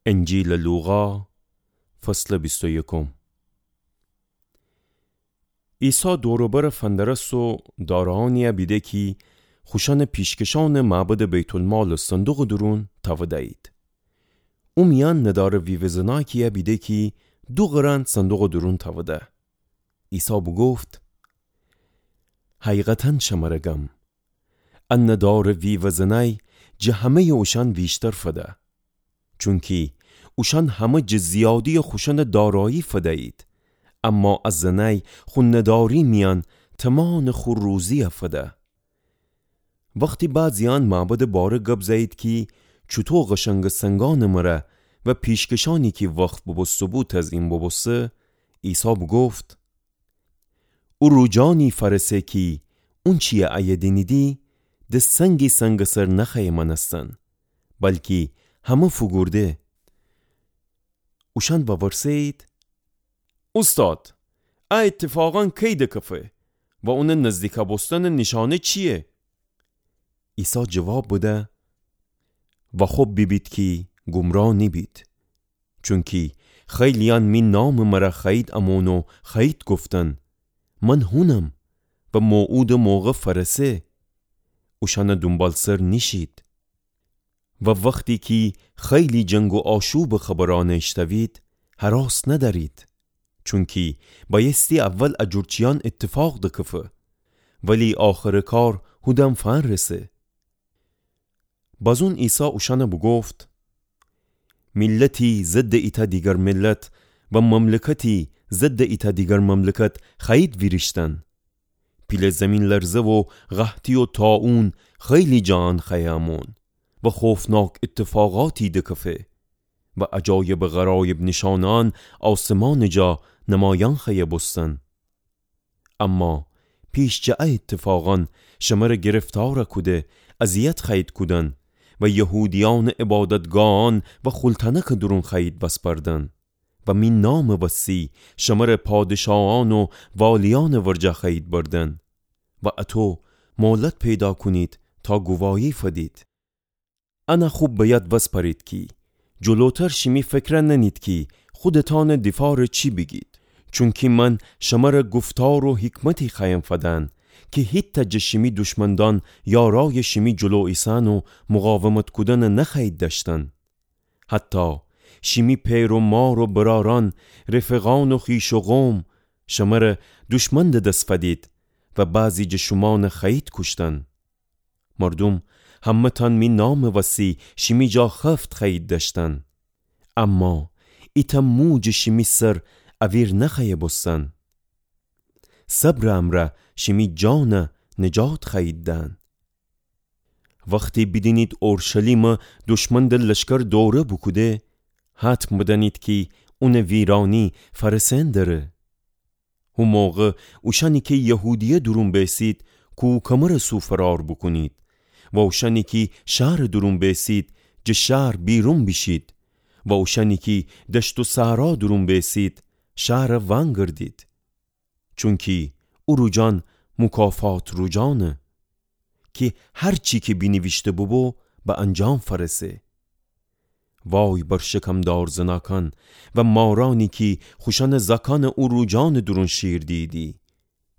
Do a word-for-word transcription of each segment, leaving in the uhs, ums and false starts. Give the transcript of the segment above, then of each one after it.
انجیلٚ لوقا، فصلٚ بیست و یکم. عیسی دور و بر فندرسه و داره‌یأنی‌یه بیده کی خوشأنٚ پیشکشأنٚ معبدٚ بیت‌المالٚ صندوقٚ دورون تأوده‌یید. او میأن ندارٚ ویوه‌زنأکی‌یه بیده کی دو قرن صندوقٚ دورون تأوده. عیسی بوگفت: حقیقتاً شمر گم، ا ندارٚ ویوه‌زنأی جٚه همه‌یٚ اوشأن ویشتر فده. چونکی اوشأن همه جٚه زیادی‌یٚ خوشأنٚ دارایی فده‌یید، اما ا زنأی خو نداری میأن تومانٚ خو روزی‌یه فده. وختی بعضی‌یأن معبدٚ باره گب زأیید کی چوطو قشنگٚ سنگأنٚ مره و پیشکشأنی کی وقف بوبوسته‌بو تزیین بوبوسته، عیسی بوگفت: او روجأنی فأرسه کی اونچی‌یه ایه دینیدی، د سنگی سنگٚ سر نخوأیه مأنستن، بلکی همه فوگورده. اوشأن وورسه‌یید: اوستاد، ا ایتفاقأن کی دکفه و اونٚ نزدیکه بوستنٚ نیشأنه چییه؟ عیسی جواب بده: واخوب بیبید کی گمراه نیبید. چونکی خیلی‌یأن می نامٚ مره خوأیید امون و خوأیید گفتن: من هونم و موعودٚ موقع فأرسه. اوشأنٚ دونبالسر نیشید. و وختی کی خیلی جنگ و آشوبٚ خبرأنه ایشتأوید، هراس ندأرید. چونکی بأیستی اول ا جور چیأن ایتفاق دکفه، ولی آخرٚ کار هودن فأنرسه. بازون عیسی اوشأنه بوگفت: میلتی ضدٚ ایتأ دیگر میلت و مملکتی ضدٚ ایتأ دیگر مملکت خوأیید ویریشتن. پیله زیمین‌لرزه و قحطی و طاعون خیلی جایأن خوأیه امون و خوفناک ایتفاقاتی دکفه و عجایبٚ غرایب نیشأنأن آسمانٚ جا نمایأن خوأیه بوستن. اما پیش جٚه ا ایتفاقأن شمره گرفتار کوده اذیت خوأیید کودن و یهودیأنٚ عبادتگاهأن و خولتأنکٚ دورون خوأیید وسپردن و می نامٚ وسی شمره پادشاهأن و والیأنٚ ورجه خوأیید بردن و اطو مهلت پیدا کونید تا گواهی فدید. انه خوب به یاد وسپرید کی جلوتر شیمی فکره نأنید کی خودتأنٚ دیفارٚ چی بیگید. چونکی من شمره گفتار و حکمتی خوأیم فدن کی هیتأ جٚه شیمی دشمندأن یارایٚ شیمی جلو ایسأن و مقاومت کودنٚ نخوأیید دأشتن. حتی شیمی پئر و مار و برأرأن، رفیقأن و خویش و قوم شمره دشمن دس فدید و بعضی جٚه شومأنه خوأیید کوشتن. مردوم همه‌تأن می نامٚ وسی شیمی جا خفت خوأیید دأشتن. اما ایتأ مو جٚه شیمی سر اویر نخوأیه بوستن. صبرٚ امرأ شیمی جانه نجات خوأیید دأن. وختی بیدینید اورشلیمه دشمندٚ لشکر دوره بوکوده، حتم بدأنید کی اونٚ ویرأنی فأرسئن دره. هو موقع اوشأنی کی یهودیه دورون بیسید، کوکمرٚ سو فرار بوکونید و اوشأنی کی شهرٚ دورون بیسید، جٚه شهر بیرون بیشید و اوشأنی کی دشت و صحرا دورون بیسید، شهره وأنگردید. چونکی او روجأن مکافات روجأنه کی هر چی کی بینیویشته بوبو به انجام فأرسه. وای بر شکمدار زناکأن و مارأنی کی خوشأنٚ زاکأنه او روجأنٚ دورون شیر دیدی.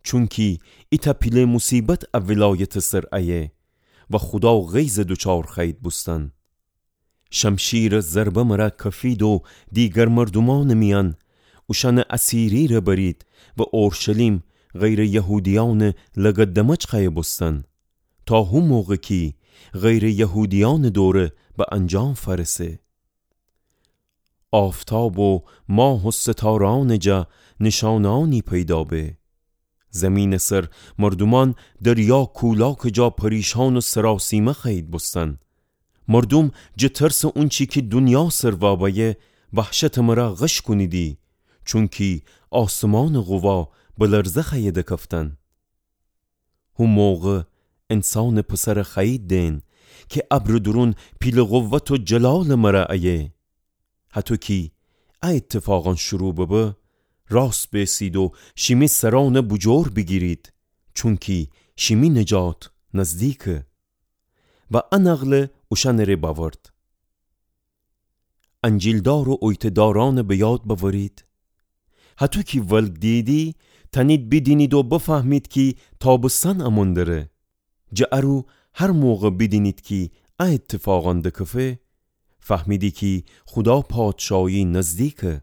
چونکی ایتأ پیله موصیبت ا ولایتٚ سر ایه و خودا غیظ دوچار خوأیید بوستن. شمشیرٚ ضربه مره کفید و دیگر مردومأنٚ میأن اوشأنٚ اسیری‌ره برید و اورشلیم غیرٚ یهودیأنٚ لگدمج خوأیه بوستن، تا هو موقع کی غیرٚ یهودیأنٚ دوره به انجام فأرسه. آفتاب و ماه و ستاره‌أنٚ جا نیشأنه‌أنی پیدا به. زیمینٚ سر مردومأن دریا کولاکٚ جا پریشأن و سراسیمه خوأیید بوستن. مردوم جٚه ترسٚ اونچی کی دونیا سر وابیه وحشتٚ مره غش کونیدی، چونکی آسمانٚ قوا به لرزه خوأیه دکفتن. هو موقع انسانٚ پسره خوأیید دئن کی ابرٚ دورون پیلٚ قوت و جلالٚ مره ایه. هطو کی ا ایتفاقأن شروع ببه، راست بیسید و شیمی سرأنه بوجور بیگیرید، چونکی شیمی نجات نزدیکه. و ا نقله اوشأنٚ ره بأورد. انجیلدار و اویته‌دارأنَ به یاد بأورید؟ هطو کی ولگ دییدی، تأنید بیدینید و بفهمید کی تابستان أمون دره. جٚه ارو هر موقع بیدینید کی ا ایتفاقأن دکفه، فهمیدی کی خودا پادشایی نزدیکه.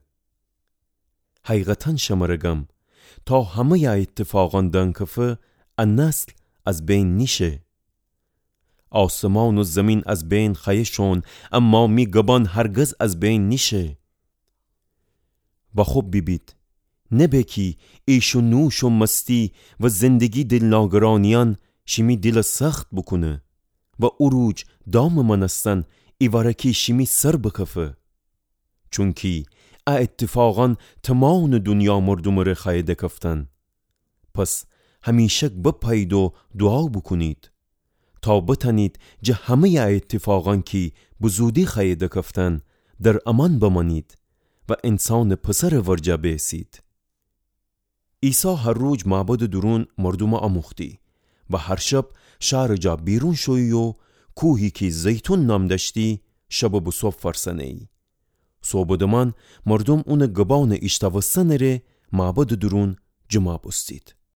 حقیقتاً شمره گم، تا همه‌یٚ ا ایتفاقأن دنکفه، ا نسل از بین نیشه. آسمان و زمین از بین خوأیه شون، اما می گبأن هرگز از بین نیشه. و خب بیبید، نبه کی ایش و نوش و مستی و زندگی دیلناگرأنیأن شیمی دیلَ سخت بوکونه و او روج دامٚ مأنستن ایوأره‌کی شیمی سر بکفه. چونکی ا ایتفاقأن تومانٚ دونیا مردومٚ ره خوأیه دکفتن. پس همیشک بپأیید و دوعا بوکونید، تا بتأنید جٚه همه‌یٚ ا ایتفاقأن کی بزودی خوأیه دکفتن، در امأن بمأنید و انسانٚ پسرٚ ورجه بیسید. عیسی هر روج معبدٚ دورون مردومَ آموختی و هر شب شارٚ جا بیرون شویی و کوهی کی زیتون نام دأشتی، شبٚ بوسوب فأرسأنه‌یی. سوبٚ دمان مردوم اونٚ گبأنٚ ایشتاوستنٚ ره معبدٚ دورون جمع بوستید.